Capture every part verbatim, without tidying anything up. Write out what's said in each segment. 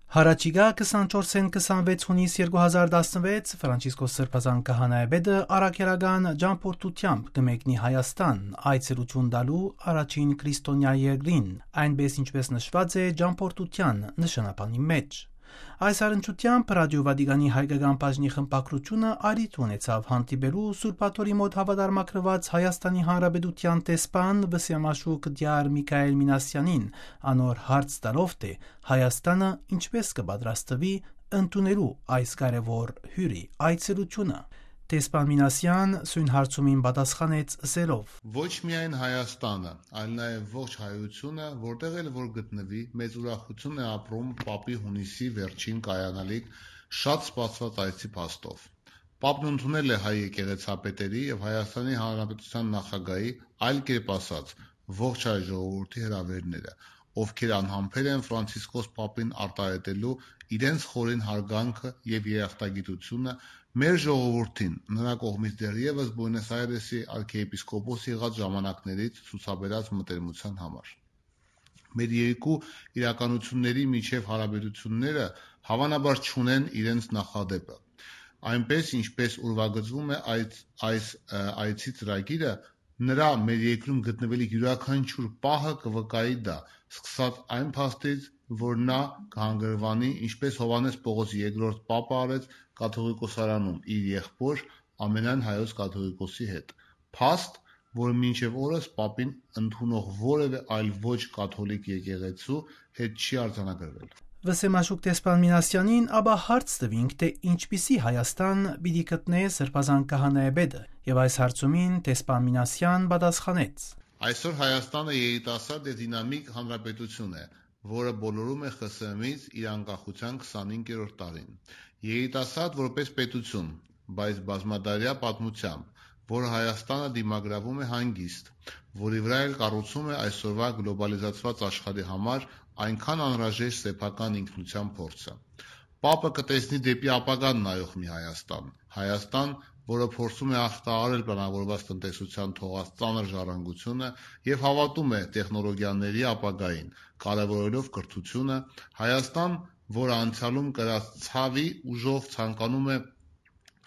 Յառաջիկայ քսանչորսէն քսանվեց յունիս երկու հազար տասնվեց Ֆրանցիսկոս Սրբազան Քահանայապետը առաքելական ճամբորդութեամբ կը մեկնի Հայաստան, այցելութիւն տալու առաջին քրիստոնեայ երկրին, այնպէս ինչպէս նշուած է ճամբորդութեան նշանաբանի մէջ։ Այս առնչութեամբ Ռադիո Վատիկանի հայկական բաժնի խմբագրութիւնը առիթ ունեցաւ հանդիպելու Սուրբ Աթոռի մօտ հաւատարմագրուած Հայաստանի Հանրապետութեան դեսպան Վսեմաշուք Դիար Միքայել Մինասյանին, անոր հարց տալով, թէ Հայաստանը ինչպէս կը պատրաստուի ընդունելու այս կարեւոր հիւրի այցելութիւնը։ Դեսպան Մինասեան սոյն հարցումին պատասխանեց ըսելով. «Ոչ միայն Հայաստանը, այլ նաեւ ողջ հայութիւնը, որտեղ էլ որ գտնուի, մեծ ուրախութիւն է ապրում Պապի յունիսի վերջին կայանալիք շատ սպասուած այցի փաստով։ Պապն ընդունել է հայ եկեղեցապետերի եւ Հայաստանի Հանրապետութեան նախագահի, այլ կերպ ասած, ողջ հայ ժողովուրդի հրաւերները, ովքեր անհամբեր են Ֆրանցիսկոս Պապին արտահայտելու իրենց խորին հարգանքը եւ երախտագիտությունը մեր ժողովուրդին, նրա կողմից դեռեւս Բուենոս Այրեսի արքեպիսկոպոս եղած ժամանակներից ցուցաբերած մտերմութեան համար։ Մեր երկու իրականությունների միջեւ հարաբերությունները, հավանաբար, չունեն իրենց նախադէպը։ Այնպէս, ինչպէս ուրվագծվում է այս, այս, ը, այցի ծրագիրը, նրա մեր երկրում գտնվելիք իւրաքանչիւր պահը կը վկայի դա, սկսած այն փաստից, որ նա կհանգրուանի, ինչպէս Յովհաննէս Պողոս երկրորդ Պապը արեց, կաթողիկոսարանում իր եղբոր, ամենայն հայոց կաթողիկոսի հետ։ Փաստ, որ մինչեւ օրս Պապին ընդունող որեւէ այլ ոչ կաթոլիկ եկեղեցու հետ չի արձանագրվել»։ Վսեմաշուք դեսպան Մինասեանին ապա հարց տուինք, թէ ինչպիսի Հայաստան պիտի գտնէ Սրբազան Քահանայապետը, եւ այս հարցումին դեսպան Մինասեան պատասխանեց. «Այսօր Հայաստանը երիտասարդ եւ դինամիկ հանրապետություն է, որը բոլորում է Խ Ս Մ-ից իր անկախութեան քսանհինգերորդ տարին։ Երիտասարդ որպես պետություն, բայց բազմադարյա պատմությամբ, որ Հայաստանը դիմագրավում է հանգիստ, որի վրա էլ կառուցում է այսօրվա գլոբալիզացված աշխարհի համար այնքան անհրաժեշտ սեփական ինքնության փորձը։ Պապը կը տեսնի դէպի ապագան նայող մի Հայաստան, Հայաստան, որը փորձում է ախտահարել պլանավորված տնտեսության թողած ծանր ժառանգությունը եւ հավատում է տեխնոլոգիաների ապագային, կարեւորելով կրթությունը, Հայաստան, որը անցյալում կրած ցաւի ուժով ցանկանում է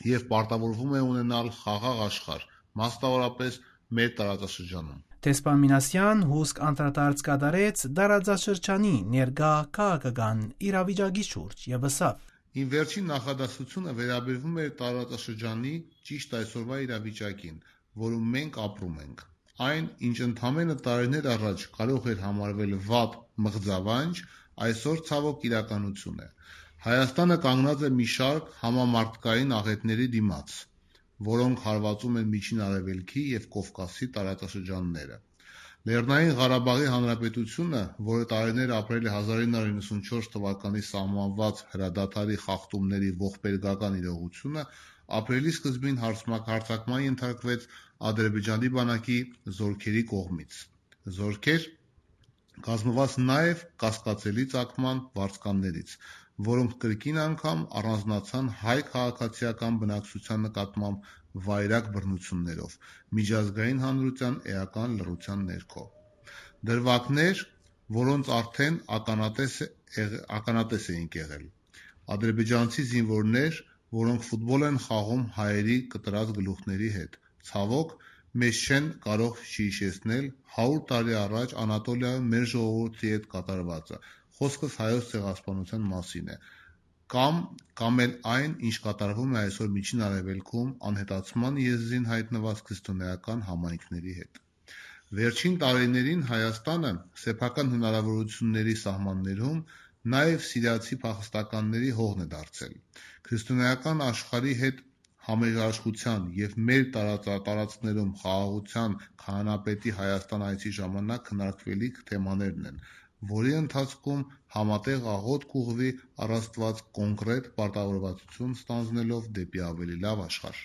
եւ պարտավորվում է ունենալ խաղաղ աշխարհ, մասնավորապես մեր տարածաշրջանում»։ Դեսպան Մինասեան հուսկ անդրադարձ կատարեց տարածաշրջանի ներկայ քաղաքական իրավիճակի շուրջ եւ ըսաւ. «Իմ վերջին նախադասությունը վերաբերվում էր տարածաշրջանի ճիշտ այսօրվա իրավիճակին, որում մենք ապրում ենք։ Այն, ինչ ընդամենը տարիներ առաջ կարող էր համարվել վատ մղձավանջ, այսօր ցաւոք իրականություն է։ Հայաստանը կանգնած է մի շարք համամարդկային աղէտների դիմաց, որոնք հարվածում են Միջին Արեւելքի եւ Կովկասի տարածաշրջանները։ Լեռնային Ղարաբաղի Հանրապետությունը, որը տարիներ ապրել է հազար ինը հարյուր իննսունչորս թվականի սահմանված հրադադարի խախտումների ողբերգական իրողությունը, ապրիլի սկզբին հարցմակ-, հարձակման ենթարկվեց Ադրբեջանի բանակի զորքերի կողմից։ Զորքեր կազմված նաեւ կասկածելի ծագման վարձկաններից, որոնք կրկին անգամ առանձնացան հայ քաղաքացիական բնակչության նկատմամբ վայրագ բռնություններով, միջազգային հանրության էական լռության ներքո։ Դրուագներ, որոնց արդեն ականատես է եղ-, ականատես էինք եղել։ Ադրբեջանցի զինվորներ, որոնք ֆուտբոլ են խաղում հայերի կտրած գլուխների հետ։ Ցաւոք, մեզ չեն կարող չհիշեցնել հարիւր տարի առաջ Անատոլիայում մեր ժողովուրդի հետ կատարվածը, խօսքս հայոց ցեղասպանության մասին է, կամ, կամ էլ այն, ինչ կատարվում է այսօր Միջին Արեւելքում անհետացման եզրին հայտնված քրիստոնէական համայնքների հետ։ Վերջին տարիներին Հայաստանը սեփական հնարավորությունների սահմաններում նաեւ սիրիացի փախստականների հողն է դարձել։ Քրիստոնէական աշխարհի հետ համերաշխության եւ մեր տարածա-, տարածքներում խաղաղության քահանայապետի Հայաստան այցի ժամանակ քննարկվելիք թեմաներն են, որի ընթացքում համատեղ աղօթք կ'ուղղուի առ Աստուած կոնկրետ պարտավորվածություն ստանձնելով դէպի ավելի լաւ աշխարհ»։